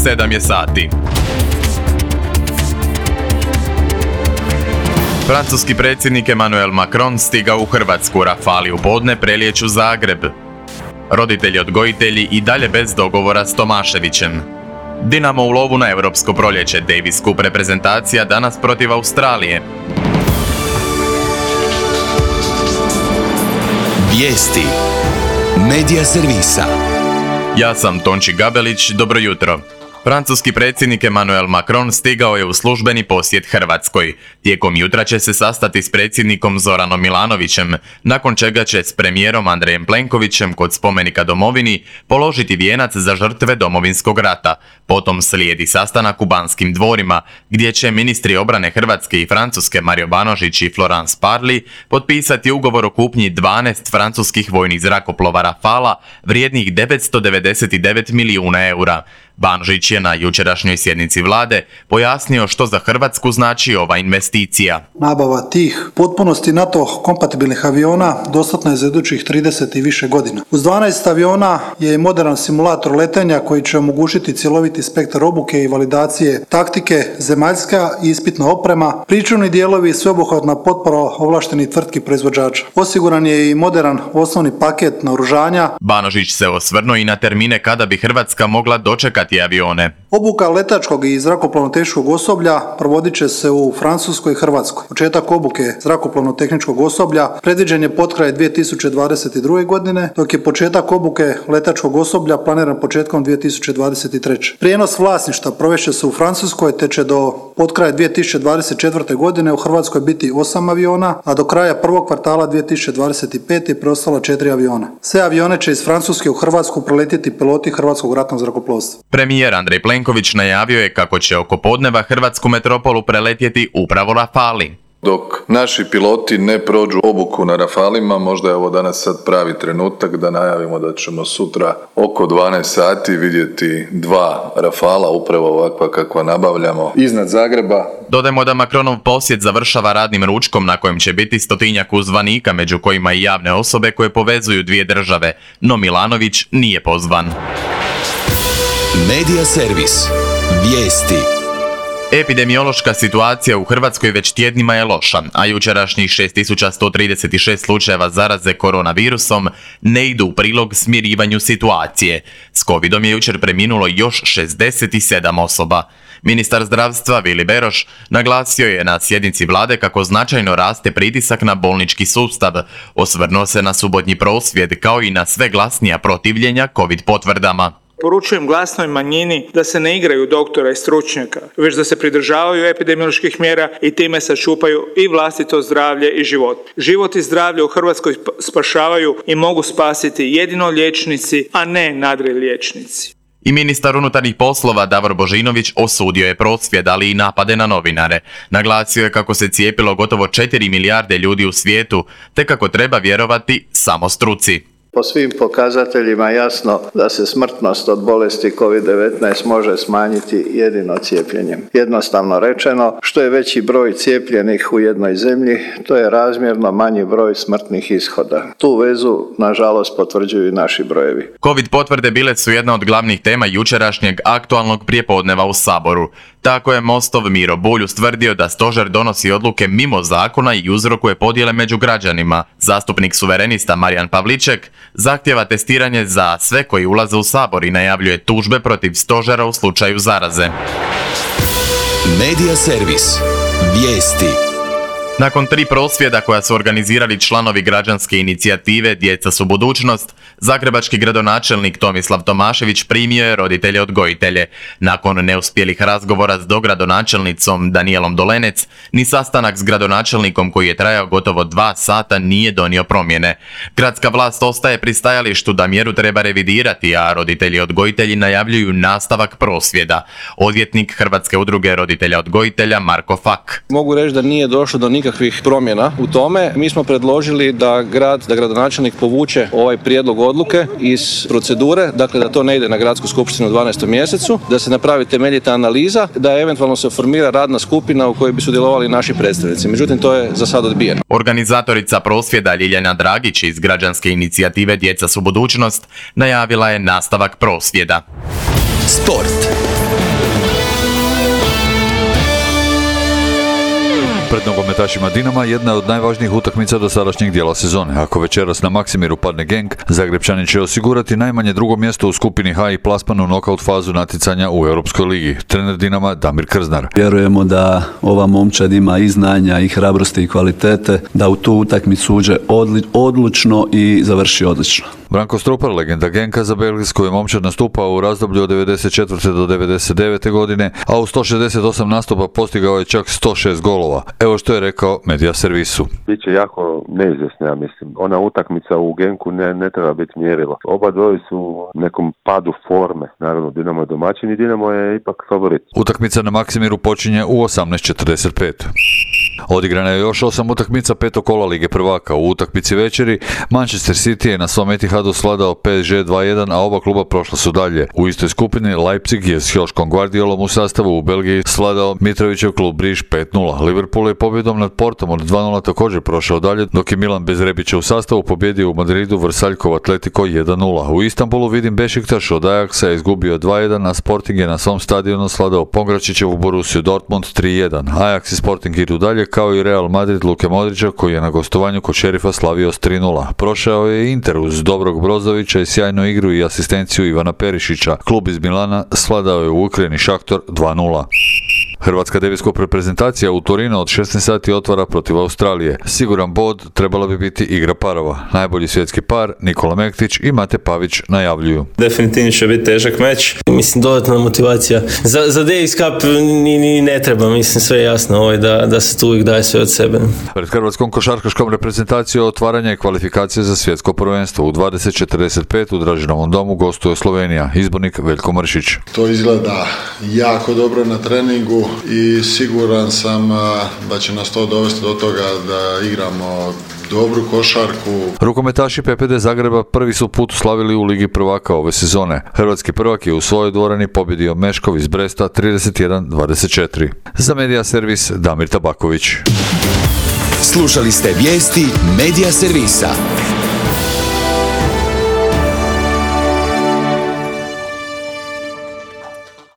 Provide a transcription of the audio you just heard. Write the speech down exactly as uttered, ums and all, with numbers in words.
sedam je sati. Francuski predsjednik Emmanuel Macron stigao u Hrvatsku, rafali u podne prelijeću Zagreb. Roditelji odgojitelji i dalje bez dogovora s Tomaševićem. Dinamo u lovu na europsko proljeće, Davis Cup reprezentacija danas protiv Australije. Vijesti Medija servisa. Ja sam Tonči Gabelić, dobro jutro. Francuski predsjednik Emmanuel Macron stigao je u službeni posjet Hrvatskoj. Tijekom jutra će se sastati s predsjednikom Zoranom Milanovićem, nakon čega će s premijerom Andrejem Plenkovićem kod spomenika domovini položiti vijenac za žrtve Domovinskog rata. Potom slijedi sastanak u Banskim dvorima, gdje će ministri obrane Hrvatske i Francuske Mario Banožić i Florence Parly potpisati ugovor o kupnji dvanaest francuskih vojnih zrakoplova Rafala vrijednih devetsto devedeset devet milijuna eura. Banožić je na jučerašnjoj sjednici vlade pojasnio što za Hrvatsku znači ova investicija. Nabava tih potpunosti NATO kompatibilnih aviona dostatna je za idućih trideset i više godina. Uz dvanaest aviona je i moderan simulator letenja koji će omogućiti cjeloviti spektar obuke i validacije taktike, zemaljska i ispitna oprema, pričuvni dijelovi i sveobuhvatna potpora ovlaštenih tvrtki proizvođača. Osiguran je i moderan osnovni paket naoružanja. Banožić se osvrnuo i na termine kada bi Hrvatska mogla dočekati avione. Obuka letačkog i zrakoplovno-tehničkog osoblja provodit će se u Francuskoj i Hrvatskoj. Početak obuke zrakoplovno-tehničkog osoblja predviđen je potkraj dvije tisuće dvadeset druge. godine, dok je početak obuke letačkog osoblja planiran početkom dvije tisuće dvadeset treće. Prijenos vlasništva provest će se u Francuskoj, te će do potkraja dvije tisuće dvadeset četvrte. godine u Hrvatskoj biti osam aviona, a do kraja prvog kvartala dvije tisuće dvadeset pete. preostala četiri aviona. Sve avione će iz Francuske u Hrvatsku preletjeti piloti Hrvatskog ratnog zrakoplovstva. Premijer Andrej Plenković najavio je kako će oko podneva hrvatsku metropolu preletjeti upravo Rafali. Dok naši piloti ne prođu obuku na Rafalima, možda je ovo danas sad pravi trenutak da najavimo da ćemo sutra oko dvanaest sati vidjeti dva Rafala, upravo ovakva kakva nabavljamo, iznad Zagreba. Dodajmo da Macronov posjet završava radnim ručkom na kojem će biti stotinjak uzvanika, među kojima i javne osobe koje povezuju dvije države, no Milanović nije pozvan. Medija servis. Vijesti. Epidemiološka situacija u Hrvatskoj već tjednima je loša, a jučerašnjih šest tisuća sto trideset šest slučajeva zaraze koronavirusom ne idu u prilog smirivanju situacije. S covidom je jučer preminulo još šezdeset sedam osoba. Ministar zdravstva Vili Beroš naglasio je na sjednici vlade kako značajno raste pritisak na bolnički sustav. Osvrnuo se na subotnji prosvjed kao i na sve glasnija protivljenja covid potvrdama. Poručujem glasnoj manjini da se ne igraju doktora i stručnjaka, već da se pridržavaju epidemioloških mjera i time sačuvaju i vlastito zdravlje i život. Život i zdravlje u Hrvatskoj spašavaju i mogu spasiti jedino liječnici, a ne nadriječnici. I ministar unutarnjih poslova Davor Božinović osudio je prosvjed, ali i napade na novinare. Naglasio je kako se cijepilo gotovo četiri milijarde ljudi u svijetu, te kako treba vjerovati samo struci. Po svim pokazateljima jasno da se smrtnost od bolesti kovid devetnaest može smanjiti jedino cijepljenjem. Jednostavno rečeno, što je veći broj cijepljenih u jednoj zemlji, to je razmjerno manji broj smrtnih ishoda. Tu vezu, nažalost, potvrđuju i naši brojevi. Covid potvrde bile su jedna od glavnih tema jučerašnjeg aktualnog prijepodneva u Saboru. Tako je Mostov Miro Bulj ustvrdio da stožer donosi odluke mimo zakona i uzrokuje podjele među građanima. Zastupnik suverenista Marijan Pavliček zahtjeva testiranje za sve koji ulaze u Sabor i najavljuje tužbe protiv stožera u slučaju zaraze. Medija servis. Vijesti. Nakon tri prosvjeda koja su organizirali članovi građanske inicijative Djeca su budućnost, zagrebački gradonačelnik Tomislav Tomašević primio je roditelje odgojitelje. Nakon neuspjelih razgovora s dogradonačelnicom Danijelom Dolenec, ni sastanak s gradonačelnikom koji je trajao gotovo dva sata nije donio promjene. Gradska vlast ostaje pri stajalištu da mjeru treba revidirati, a roditelji odgojitelji najavljuju nastavak prosvjeda. Odvjetnik Hrvatske udruge roditelja odgojitelja Marko Fak. Mogu reći da nije došlo do nikakvih promjena u tome. Mi smo predložili da grad, da gradonačelnik povuče ovaj prijedlog odluke iz procedure, dakle da to ne ide na gradsku skupštinu u dvanaestom mjesecu, da se napravi temeljita analiza, da eventualno se formira radna skupina u kojoj bi sudjelovali naši predstavnici. Međutim, to je za sad odbijeno. Organizatorica prosvjeda Ljiljana Dragić iz građanske inicijative Djeca su budućnost najavila je nastavak prosvjeda. Sport. Pred nogometašima Dinama jedna je od najvažnijih utakmica do sadašnjeg dijela sezone. Ako večeras na Maksimiru padne Genk, Zagrebčani će osigurati najmanje drugo mjesto u skupini H i plasman u nokaut fazu natjecanja u Europskoj ligi. Trener Dinama Damir Krznar. Vjerujemo da ova momčad ima i znanja i hrabrosti i kvalitete, da u tu utakmicu uđe odli- odlučno i završi odlično. Branko Strupar, legenda Genka, za belgijsku je momčad nastupao u razdoblju od devedeset četvrte do devedeset devete godine, a u sto šezdeset osam nastupa postigao je čak sto šest golova. Evo što je rekao Media Servisu. Biće jako neizvjesno, ja mislim. Ona utakmica u Genku ne, ne treba biti mjerilo. Oba dvoje su u nekom padu forme. Naravno, Dinamo je domaćin i Dinamo je ipak favorit. Utakmica na Maksimiru počinje u osamnaest četrdeset pet. Odigrana je još osam utakmica petog kola Lige prvaka. U utakmici večeri Manchester City je na svom Etihadu svladao P S G dva jedan, a oba kluba prošla su dalje. U istoj skupini Leipzig je s Joškom Guardiolom u sastavu u Belgiji svladao Mitrovićev klub Briž pet nula. Liverpool je pobjedom nad Portom od dva nula također prošao dalje, dok je Milan bez Rebića u sastavu pobjedio u Madridu Vrsaljkov Atletico jedan nula. U Istanbulu Vidim Bešiktaš od Ajaxa je izgubio dva jedan, a Sporting je na svom stadionu svladao Pongračićevu Borussiju Dortmund tri jedan. Ajax i Sporting idu dalje, kao i Real Madrid Luke Modrića, koji je na gostovanju kod Šerifa slavio s tri nula. Prošao je Inter uz dobrog Brozovića i sjajnu igru i asistenciju Ivana Perišića. Klub iz Milana svladao je u Ukrajini Šaktor dva nula. Hrvatska devetskop reprezentacija u Torinu od šesnaest sati otvara protiv Australije. Siguran bod trebala bi biti igra parova. Najbolji svjetski par Nikola Mektić i Mate Pavić najavljuju. Definitivno će biti težak meč. Mislim, dodatna motivacija. Za, za Davis Cup ni, ni ne treba, mislim, sve je jasno ovaj, da, da se tu uvijek daje sve od sebe. Pred hrvatskom košarkaškom reprezentacijom otvaranja je kvalifikacije za svjetsko prvenstvo. U dvadeset četrdeset pet u Dražinovom domu gostuje Slovenija. Izbornik Veljko Mršić. To izgleda jako dobro na treningu i siguran sam da će nas to dovesti do toga da igramo dobru košarku. Rukometaši P P D Zagreba prvi su put slavili u Ligi prvaka ove sezone. Hrvatski prvak je u svojoj dvorani pobjedio Meškov iz Bresta trideset jedan dvadeset četiri. Za Media Servis Damir Tabaković. Slušali ste vijesti Media Servisa.